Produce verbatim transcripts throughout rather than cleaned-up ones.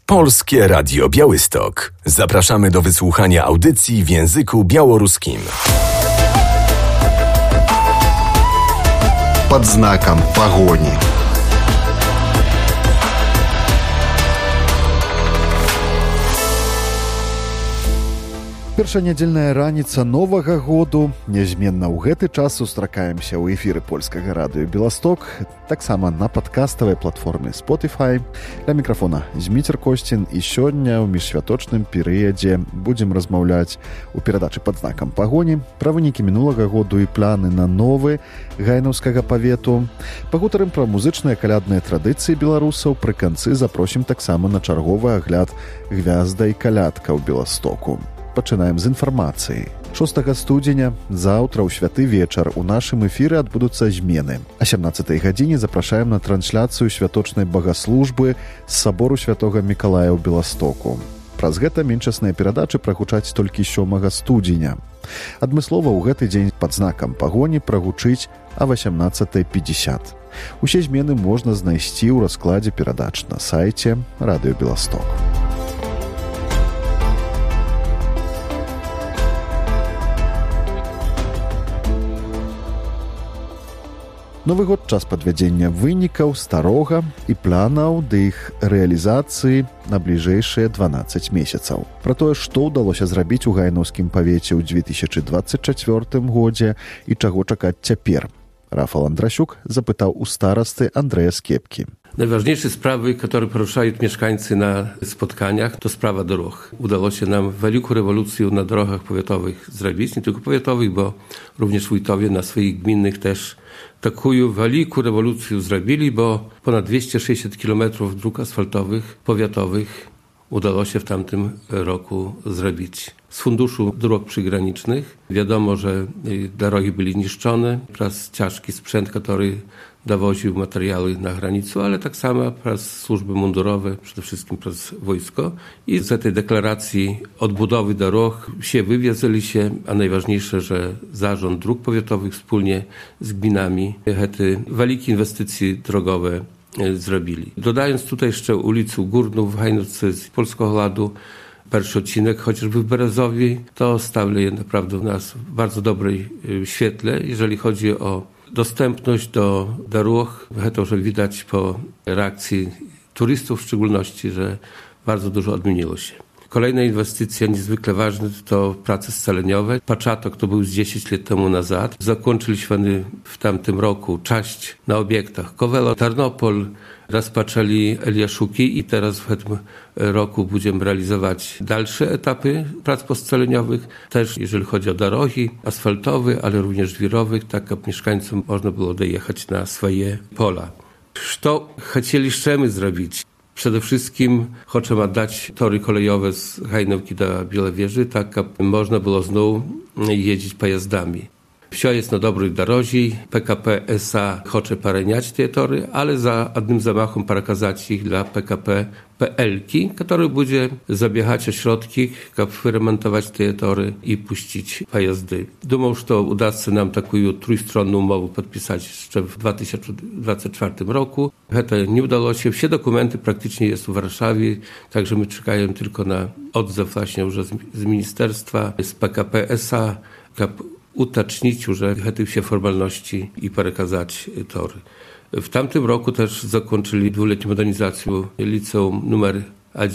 Polskie Radio Białystok. Zapraszamy do wysłuchania audycji w języku białoruskim. Под знаком погони. Першая нядзельная раніца новага году. Нязменна ў гэты час сустракаемся ў эфіры польскага радыё Беласток, таксама на падкаставай платформе Spotify. Для мікрафона Зміцер Косцін, і сёння ў міжсвяточным перыядзе будзем размаўляць у перадачы «Пад знакам пагоні» пра вынікі мінулага году і планы на новы гайнаўскага павету. Пагутарым пра музычныя калядныя традыцыі беларусаў. Пры канцы запросім таксама на чарговы агляд гвязда і калядка ў Беластоку. Пачынаем з інфармацыі. шостага студзеня, заўтра ў святы вечар у нашым эфіры адбудуцца змены. А сямнаццатай гадзіне запрашаем на трансляцыю святочнай багаслужбы з сабору святога Мікалая ў Беластоку. Праз гэта менчасныя перадачы прагучаць толькі сёмага студзеня. Адмыслова ў гэты дзень пад знакам пагоні прагучыць а васямнаццатай пятьдесят. Усе змены можна знайсці ў раскладзе перадач на сайце Радыё Беласток. Новы год — час падвядзення вынікаў старога і планаў да іх рэалізацыі на бліжэйшыя дванаццаць месяцаў. Пра тое, што ўдалося зрабіць у гайнаўскім павеце ў две тысячи двадцать чацвёртым годзе і чаго чакаць цяпер, Рафал Андрасюк запытаў у старасты Андрэя Скепкі. Najważniejsze sprawy, które poruszają mieszkańcy na spotkaniach, to sprawa dróg. Udało się nam wielką rewolucję na drogach powiatowych zrobić, nie tylko powiatowych, bo również wójtowie na swoich gminnych też taką wielką rewolucję zrobili, bo ponad dwieście sześćdziesiąt kilometrów dróg asfaltowych, powiatowych udało się w tamtym roku zrobić. Z funduszu dróg przygranicznych wiadomo, że drogi były niszczone przez ciężki sprzęt, który dowoził materiały na granicę, ale tak samo przez służby mundurowe, przede wszystkim przez wojsko. I z tej deklaracji odbudowy dróg się wywiązali się, a najważniejsze, że zarząd dróg powiatowych wspólnie z gminami te wielkie inwestycje drogowe zrobili. Dodając tutaj jeszcze ulicę Górną w Hajnówce z Polskiego Ładu, pierwszy odcinek, chociażby w Berezowie, to stawia naprawdę nas w bardzo dobrej świetle, jeżeli chodzi o dostępność do dróg. To już widać po reakcji turystów w szczególności, że bardzo dużo odmieniło się. Kolejna inwestycja niezwykle ważna to prace scaleniowe. Paczatok to był z dziesięć lat temu nazad. Zakończyliśmy w tamtym roku część na obiektach Kowelo, Tarnopol, rozpoczęli Eliaszuki i teraz w tym roku będziemy realizować dalsze etapy prac poscaleniowych. Też jeżeli chodzi o drogi asfaltowe, ale również żwirowych, tak aby mieszkańcom można było dojechać na swoje pola. Co chcieliśmy zrobić? Przede wszystkim chcemy dać tory kolejowe z Hajnówki do Białowieży, tak aby można było znowu jeździć pojazdami. Wsio jest na dobrej drodze, P K P S A chce pareniać te tory, ale za jednym zamachem przekazać ich dla P K P P L ki, który będzie zabiegać środki, aby wyremontować te tory i puścić pojazdy. Думаю, że uda się nam taką trójstronną umowę podpisać jeszcze w dwa tysiące dwudziestym czwartym roku. To nie udało się. Wszystkie dokumenty praktycznie jest w Warszawie, także my czekamy tylko na odzew właśnie już z ministerstwa, z P K P S A, utacznić, że te wszystkie formalności i przekazać tory. W tamtym roku też zakończyli dwuletnią modernizację liceum numer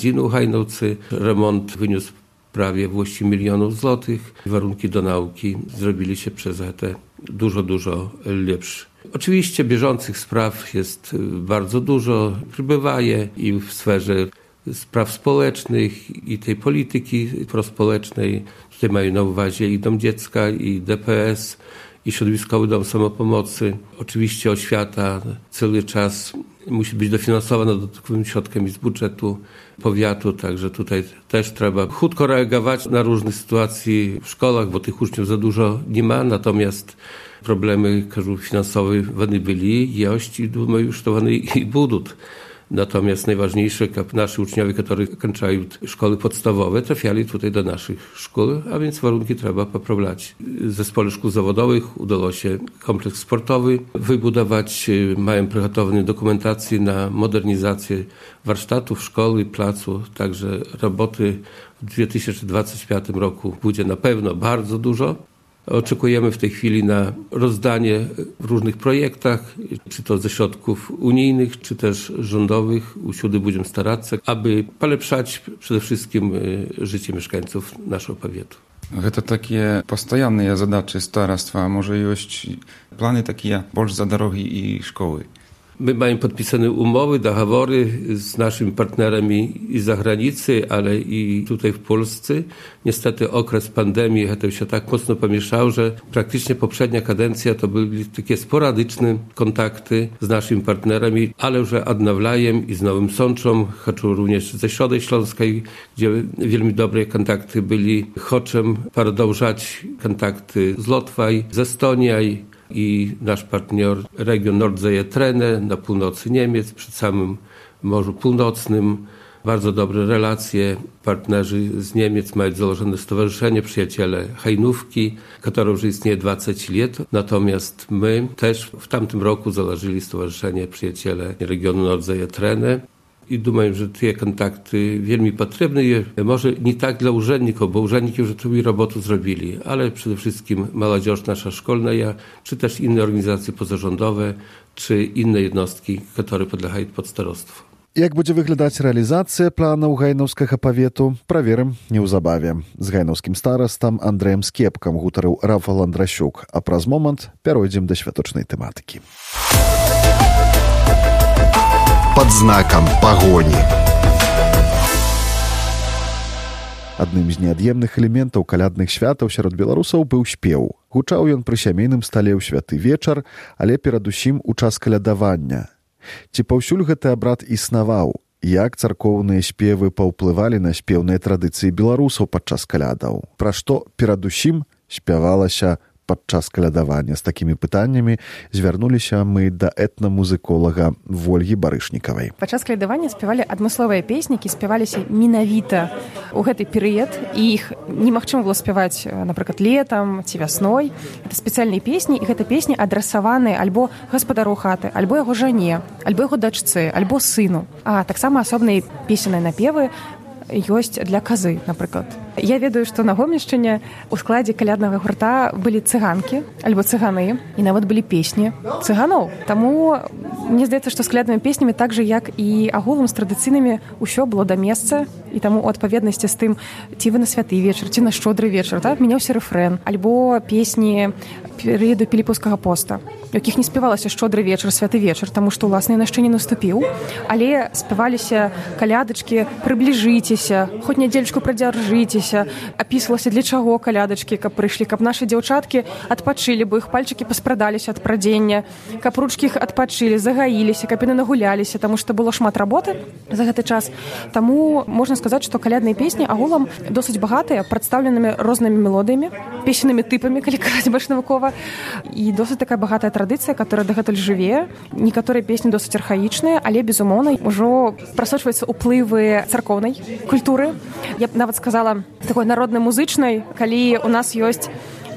jeden w Hajnówce. Remont wyniósł prawie dwieście milionów złotych. Warunki do nauki zrobili się przez te dużo, dużo lepsze. Oczywiście bieżących spraw jest bardzo dużo, przybywa je i w sferze spraw społecznych i tej polityki prospołecznej. Tutaj mają na uwadze i Dom Dziecka, i D P S, i Środowiskowy Dom Samopomocy. Oczywiście oświata cały czas musi być dofinansowana dodatkowym środkiem z budżetu powiatu, także tutaj też trzeba chutko reagować na różne sytuacje w szkołach, bo tych uczniów za dużo nie ma, natomiast problemy finansowe wany byli, jeść i думаю, że wany i budут. Natomiast najważniejsze, aby nasi uczniowie, którzy kończają szkoły podstawowe, trafiali tutaj do naszych szkół, a więc warunki trzeba poprawiać. W zespole szkół zawodowych udało się kompleks sportowy wybudować. Mają przygotowaną dokumentację na modernizację warsztatów, szkoły, placu. Także roboty w dwa tysiące dwudziestym piątym roku będzie na pewno bardzo dużo. Oczekujemy w tej chwili na rozdanie w różnych projektach, czy to ze środków unijnych, czy też rządowych. Usiłdy będziemy starać się, aby polepszać przede wszystkim życie mieszkańców naszego powiatu. Гэта такія пастаянныя задачы стараства, можа ёсць планы такія больш за дарогі і школы. My mamy podpisane umowy, dogovory z naszymi partnerami i z zagranicy, ale i tutaj w Polsce. Niestety okres pandemii to się tak mocno pomieszało, że praktycznie poprzednia kadencja to były takie sporadyczne kontakty z naszymi partnerami, ale już odnawiają i z Nowym Sączą, choćby również ze Środej Śląskiej, gdzie wielmi dobre kontakty byli. Chcę продолжать kontakty z Łotwą, z Estonią, i nasz partner region Nordseetrene na północy Niemiec, przy samym Morzu Północnym. Bardzo dobre relacje. Partnerzy z Niemiec mają założone stowarzyszenie Przyjaciele Hajnówki, które już istnieje dwadzieścia lat. Natomiast my też w tamtym roku założyli stowarzyszenie Przyjaciele regionu Nordseetrene. I думаю, że te kontakty wielmi potrzebne. Może nie tak dla urzędników, bo urzędniki już tę robotę zrobili, ale przede wszystkim młodzież nasza szkolna, czy też inne organizacje pozarządowe, czy inne jednostki, które podlegają pod starostwo. Як будзе выглядаць рэалізацыя планаў гайнаўскага павету, праверым неўзабаве. З гайнаўскім старастам Андрэем Скепкам гутарыў Рафал Андрасюк, а праз момант пяройдзем да святочнай тэматыкі. Под знаком погони. Адным з неад'емных элементаў калядных святаў сярод беларусаў быў спеў. Гучаў ён пры сямейным стале ў святы вечар, але перадусім у час калядавання. Ці паўсюль гэты абрад існаваў? Як царкоўныя спевы паўплывалі на спеўныя традыцыі беларусаў падчас калядаў? Пра што перадусім спявалася падчас калядавання? З такімі пытаннямі звярнуліся мы да этнамузыколага Вольгі Барышнікавай. Падчас калядавання спявалі адмысловыя песні, які спяваліся менавіта ў гэты перыяд, і іх немагчыма было спяваць, напрыклад, летам ці вясной. Это спецыяльныя песні, і гэта песні адрасаваныя альбо гаспадару хаты, альбо яго жане, альбо яго дачцы, альбо сыну. А таксама асобныя песенныя напевы ёсць для казы, напрыклад. Я ведаю, што на Гомельшчыне ў складзе каляднага гурта былі цыганкі альбо цыганы, і нават былі песні цыганоў. Таму мне здаецца, што з каляднымі песнямі так жа, як і агулам з традыцыйнымі, ўсё было да месца, і таму у адпаведнасці з тым, ці вы на святы вечар, ці на шчодры вечар, так, мяняўся рэфрэн, альбо песні перыяду піліпаўскага поста, якіх не спявалася шчодры вечар, святы вечар, таму што, уласна, ён яшчэ не наступіў, але спяваліся калядачкі, прыбліжыцеся, хоць нядзельчку прадзяржыцеся, апісвалася для чаго калядачкі, каб прыйшлі, каб нашы дзяўчаткі адпачылі, бо іх пальчыкі паспрадаліся ад прадзення, каб ручкі іх адпачылі, загаіліся, каб яны нагуляліся, таму што было шмат работы за гэты час. Таму можна сказаць, што калядныя песні агулам досыць багатыя, прадстаўленымі рознымі мелодыямі, песеннымі тыпамі, калі казаць больш навукова, і досыць такая багатая традыцыя, которая дагэтуль жыве. Некаторыя песні досыць архаічныя, але, безумоўна, ужо прасочваюцца ўплывы царкоўнай культуры. Я б нават сказала, такой народна-музычнай, калі у нас ёсць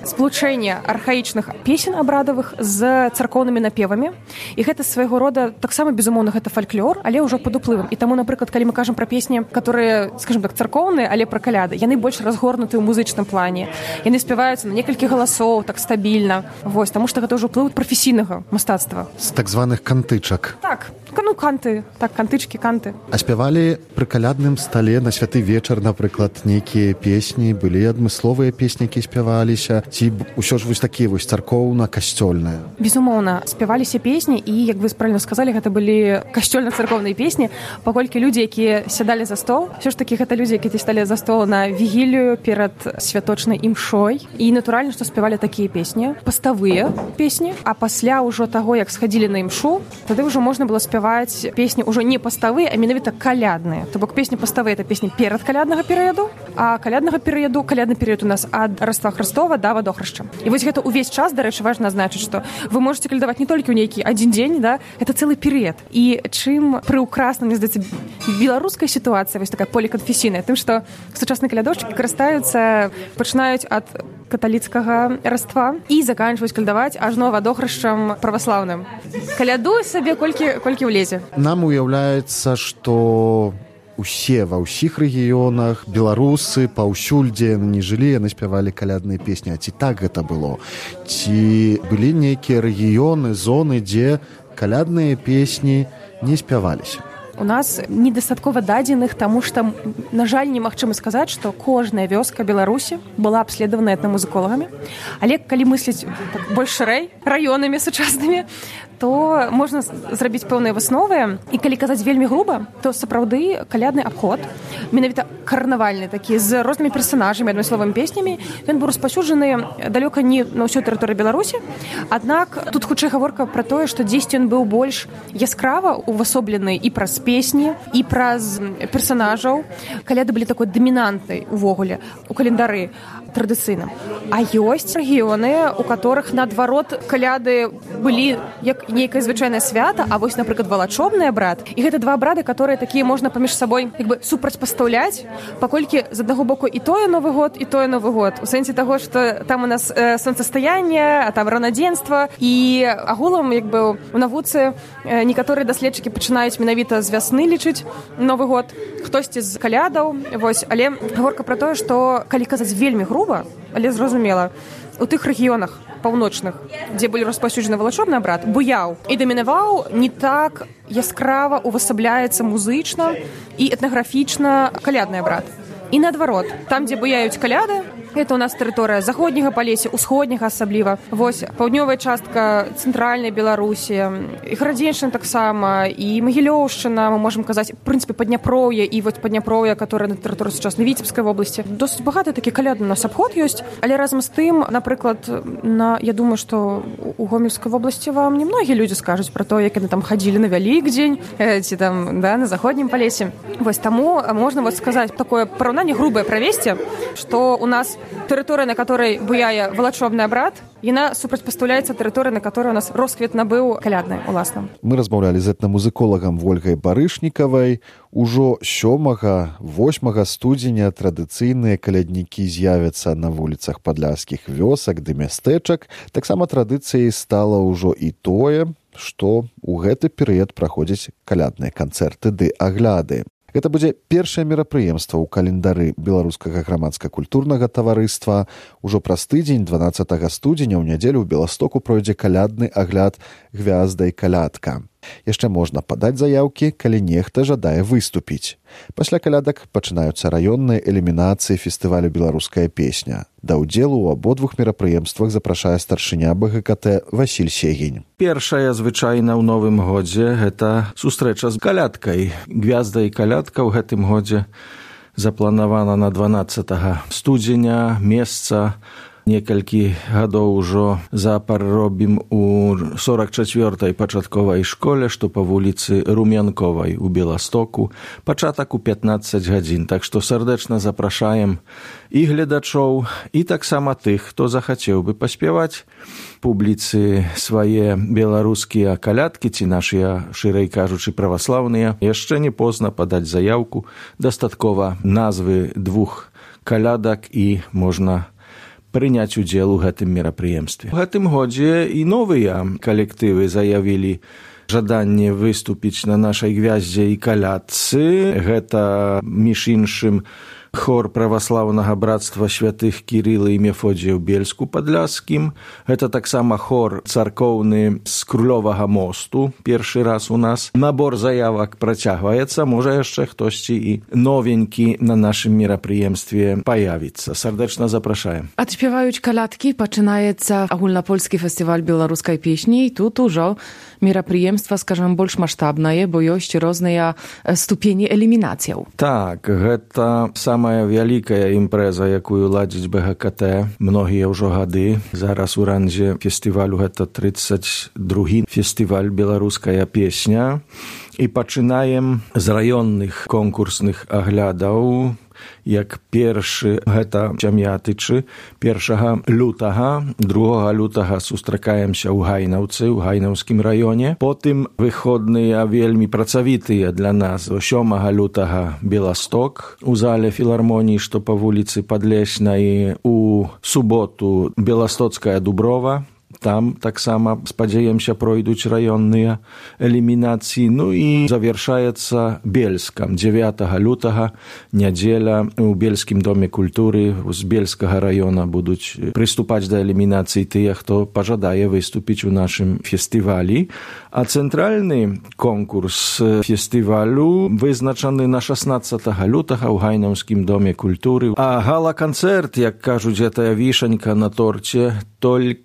сплучэнне архаічных песен абрадавых з царкоўнымі напевамі. І гэта свайго рода, таксама, безумоўна, гэта фальклор, але ўжо пад уплывам. І таму, напрыклад, калі мы кажам пра песні, которые, скажем так, царкоўныя, але пра каляды, яны больш разгорнуты ў музычным плане. Яны спяваюцца на некалькі галасоў, так стабільна. Вось, таму што гэта ўжо ўплыў прафесійнага мастацтва. З так званых кантычак. Так, ну канты, так, кантычкі, канты. А спявалі пры калядным стале на святы вечар, напрыклад, нейкія песні, былі адмысловыя песні, які спяваліся, ці ўсё ж вось такія вось царкоўна-касцёльныя? Безумоўна, спяваліся песні, і, як вы правільна сказалі, гэта былі касцёльна-царкоўныя песні, паколькі людзі, якія сядалі за стол, ўсё ж такі гэта людзі, якія сталі за стол на вігілію перад святочнай імшой, і натуральна, што спявалі такія песні, паставыя песні, а пасля ўжо таго, як схадзілі на імшу, тады ўжо можна было спяваць спяваць песні ўжо не паставыя, а менавіта калядныя. То бок песні паставыя — это песні перад каляднага перыяду, а каляднага перыяду, калядны перыяд у нас ад Раства Хрыстова да Вадохрышча. І вось гэта ўвесь час, дарэчы, важна азначыць, што вы можаце калядаваць не толькі ў нейкі адзін дзень, да, это цэлы перыяд. І чым прыўкрасна, мне здаецца, беларуская сітуацыя, вось такая поліканфесійная, тым, што сучасныя калядоўшчыкі карыстаюцца, пачынаюць ад каталіцкага раства і заканчваюць калядаваць ажно Вадохрышчам праваслаўным. Калядуй сабе колькі, колькі ўлезе. Нам уяўляецца, што усе ва ўсіх рэгіёнах беларусы паўсюль, дзе яны не жылі, яны спявалі калядныя песні. А ці так гэта было? Ці былі нейкія рэгіёны, зоны, дзе калядныя песні не спяваліся? У нас недастаткова дадзеных, таму што, на жаль, немагчыма сказаць, што кожная вёска Беларусі была абследавана этнамузыколагамі. Але калі мысліць так, больш шырэй, раёнамі сучаснымі, то можна зрабіць пэўныя высновы. І калі казаць вельмі груба, то сапраўды калядны абход, менавіта карнавальны такі, з рознымі персанажамі, адмысловымі песнямі, ён быў распаўсюджаны далёка не на ўсёй тэрыторыі Беларусі. Аднак тут хутчэй гаворка пра тое, што дзесьці ён быў больш яскрава увасоблены і праз песні, і праз персанажаў. Каляды былі такой дамінантнай увогуле у календары традыцыйным. А ёсць рэгіёны, у которых, наадварот, каляды былі як нейкае звычайнае свята, а вось, напрыклад, валачобны абрад. І гэта два абрады, которые такія можна паміж сабой як бы супрацьпастаўляць, паколькі з аднаго боку і тое Новы год, і тое Новы год. У сэнсе таго, што там у нас э, сонцастаянне, а там ранадзенства. І агулам, як бы, у навуцы э, некаторыя даследчыкі пачынаюць менавіта з вясны лічыць Новы год, хтосьці з калядаў. Вось. Але гаворка пра тое, што калі казаць вельмі груба, але зразумела, у тых рэгіёнах паўночных, дзе былі распаўсюджаны валачобны абрад, буяў і дамінаваў не так яскрава увасабляецца музычна і этнаграфічна калядны абрад. І наадварот, там, дзе буяюць каляды, гэта у нас тэрыторыя заходняга Палесся, усходняга асабліва. Вось паўднёвая частка цэнтральнай Беларусі, і Гарадзеншчына таксама, і Магілёўшчына, мы можам казаць, в прынцыпе, Падняпроўе і вось Падняпроўе, которое на тэрыторыі сучаснай Віцебскай вобласці. Досыць багаты такі калядны у нас абход ёсць, але разам з тым, напрыклад, на, я думаю, што у Гомельскай вобласці вам не многія людзі скажуць пра то, як яны там хадзілі на Вялікдзень, ці там, да, на заходнім Палесе. Вось таму можна вот сказаць такое параўнанне грубае правесці, што у нас тэрыторыя, на которой буяе валачобны абрад, яна супрацьпастаўляецца тэрыторыя, на которой у нас росквіт набыў калядны уласна. Мы размаўлялі з этнамузыколагам Вольгай Барышнікавай. Ужо сёмага восьмага студзеня традыцыйныя каляднікі з'явяцца на вуліцах падляшскіх вёсак ды мястэчак. Таксама традыцыяй стала ўжо і тое, што ў гэты перыяд праходзяць калядныя канцэрты ды агляды. Гэта будзе першае мерапрыемства ў календары беларускага грамадска-культурнага таварыства. Ужо праз тыдзень, дванаццатага студзеня, ў нядзелю ў Беластоку пройдзе калядны агляд «Гвязда і калядка». Яшчэ можна падаць заяўкі, калі нехта жадае выступіць. Пасля калядак пачынаюцца раённыя элімінацыі фестывалю «Беларуская песня». Да ўдзелу ў абодвух мерапрыемствах запрашае старшыня бэ гэ ка тэ Васіль Сегень. Першая звычайна ў новым годзе гэта сустрэча з калядкай. «Гвязда і калядка» ў гэтым годзе запланавана на дванаццатага студзеня. Месца некалькі гадоў ужо запар робім у сорак чацвёртай пачатковай школе, што па вуліцы Румянковай у Беластоку. Пачатак у пятнаццаць гадзін. Так што сардэчна запрашаем і гледачоў, і таксама тых, хто захацеў бы паспяваць публіцы свае беларускія калядкі, ці нашыя, шырэй кажучы, праваслаўныя. Яшчэ не позна падаць заяўку. Дастаткова назвы двух калядак і можна прыняць удзел у гэтым мерапрыемстве. У гэтым годзе і новыя калектывы заявілі жаданне выступіць на нашай гвяздзе і калядцы. Гэта, між іншым, хор праваслаўнага брацтва святых Кірыла і Мефодзія ў Бельску-Падляшскім. Гэта таксама хор царкоўны з Крулёвага мосту. Першы раз у нас. Набор заявак працягваецца. Можа яшчэ хтосьці і новенькі на нашым мерапрыемстве паявіцца. Сардэчна запрашаем. Адспяваюць калядкі, пачынаецца агульнапольскі фестываль беларускай песні. І тут ужо мерапрыемства, скажам, больш маштабнае, бо ёсць розныя ступені элімінацыяў. Так, гэта сам самая вялікая імпрэза, якую ладзіць бэ гэ ка тэ многія ўжо гады. Зараз у рандзе фестывалю гэта трыццаць другі фестываль «Беларуская песня». І пачынаем з раённых конкурсных аглядаў. Як першы гэта Чам'ятычы, першага лютага, другога лютага сустракаемся ў Гайнаўцы, ў Гайнаўскім раёне. Потым выходныя вельмі працавітыя для нас. сёмага лютага Беласток у зале філармоніі, што па вуліцы Падлеснай. У суботу Беластоцкая Дуброва. Там таксама, спадзяемся, пройдуць раённыя элімінацыі. Ну і завяршаецца Бельскам. дзевятага лютага, нядзеля, у Бельскім доме культуры з Бельскага раёна будуць прыступаць да элімінацыі тыя, хто пажадае выступіць у нашым фестывалі. А цэнтральны конкурс фестывалю вызначаны на шаснаццатага лютага ў Гайнаўскім доме культуры. А гала-канцэрт, як кажуць, гэтая вішанька на торце, толькі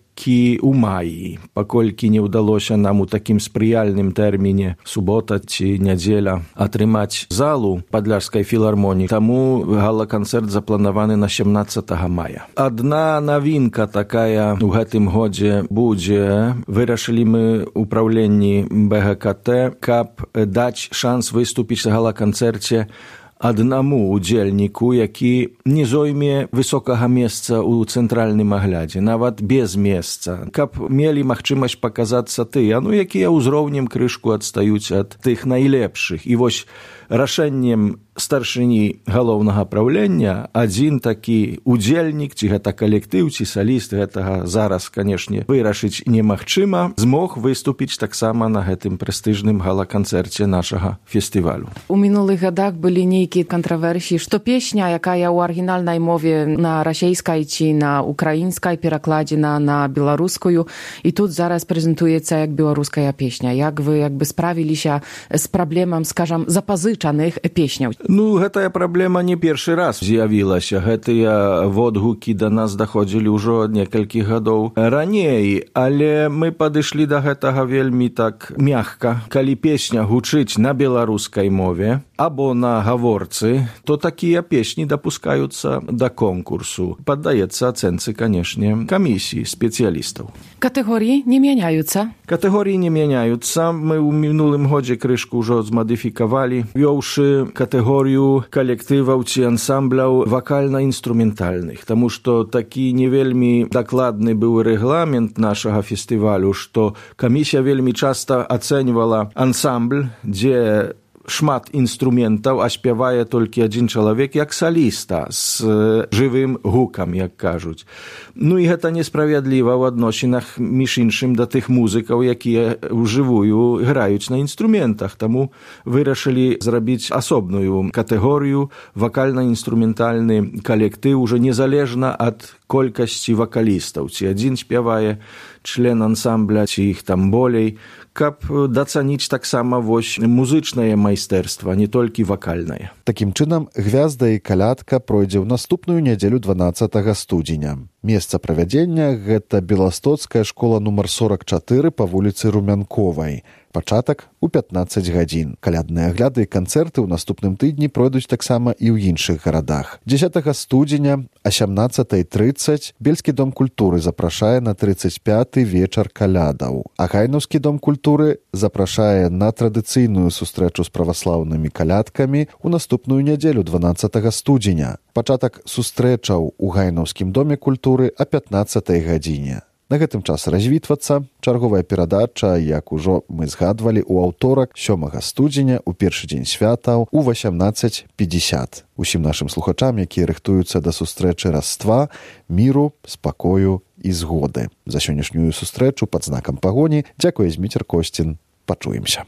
у маі, паколькі не ўдалося нам у такім спрыяльным тэрміне субота ці нядзеля атрымаць залу Падляшскай філармоніі, таму гала-канцэрт запланаваны на сямнаццатага мая. Адна навінка такая ў гэтым годзе будзе. Вырашылі мы ў праўленні бэ гэ ка тэ, каб даць шанс выступіць на гала-канцэрце аднаму удзельніку, які не зойме высокага месца ў цэнтральным аглядзе, нават без месца, каб мелі магчымасць паказацца тыя, ну, якія ўзроўнем крышку адстаюць ад тых найлепшых. І вось рашэннем старшыні галоўнага праўлення адзін такі удзельнік, ці гэта калектыў, ці саліст, гэтага зараз, канешне, вырашыць немагчыма, змог выступіць таксама на гэтым прэстыжным гала-канцэрце нашага фестывалю. У мінулых гадах былі нейкія кантраверсіі, што песня, якая ў арыгінальнай мове на расейскай ці на украінскай перакладзена на беларускую, і тут зараз прэзентуецца як беларуская песня. Як вы як бы справіліся з праблемам, скажам, запазычаных песняў? Ну, гэтая праблема не першы раз з'явілася. Гэтыя водгукі да нас даходзілі ўжо некалькі гадоў раней, але мы падышлі да гэтага вельмі так мякка. Калі песня гучыць на беларускай мове або на гаворцы, то такія песні дапускаюцца да конкурсу. Паддаецца ацэнцы, канешне, камісіі спецыялістаў. Катэгорыі не мяняюцца? Катэгорыі не мяняюцца. Мы ў мінулым годзе крышку ўжо змадыфікавалі, вёўшы катэгорыю калектываў ці ансамбляў вакальна-інструментальных, таму што такі не вельмі дакладны быў рэгламент нашага фестывалю, што камісія вельмі часта ацэньвала ансамбль, дзе шмат інструментаў, а спявае толькі адзін чалавек як саліста з жывым гукам, як кажуць. Ну і гэта несправядліва ў адносінах, між іншым, да тых музыкаў, якія ўжывую граюць на інструментах. Таму вырашылі зрабіць асобную катэгорыю вакальна-інструментальны калектыў, уже незалежна ад колькасці вакалістаў. Ці адзін спявае член ансамбля, ці іх там болей, каб дацаніць таксама вось музычнае майстэрства, не толькі вакальнае. Такім чынам, гвязда і калядка пройдзе ў наступную нядзелю дванаццатага студзеня. Месца правядзення – гэта Беластоцкая школа нумар сорак чатыры па вуліцы Румянковай. Пачатак у пятнаццаць гадзін. Калядныя агляды і канцэрты ў наступным тыдні пройдуць таксама і ў іншых гарадах. дзесятага студзеня а сямнаццатай трыццаць Бельскі дом культуры запрашае на трыццаць пяты вечар калядаў, а Гайнаўскі дом культуры запрашае на традыцыйную сустрэчу з праваслаўнымі калядкамі ў наступную нядзелю дванаццатага студзеня. Пачатак сустрэчаў у Гайнаўскім доме культуры а пятнаццатай гадзіне. На гэтым час развітвацца. Чарговая перадача, як ужо мы згадвалі, у аўторак сёмага студзеня у першы дзень святаў у васямнаццаць пятьдесят. Усім нашым слухачам, якія рыхтуюцца да сустрэчы Раства, міру, спакою і згоды. За сённяшнюю сустрэчу пад знакам пагоні дзякуе Зміцер Косцін. Пачуемся.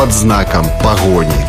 Под знаком погони.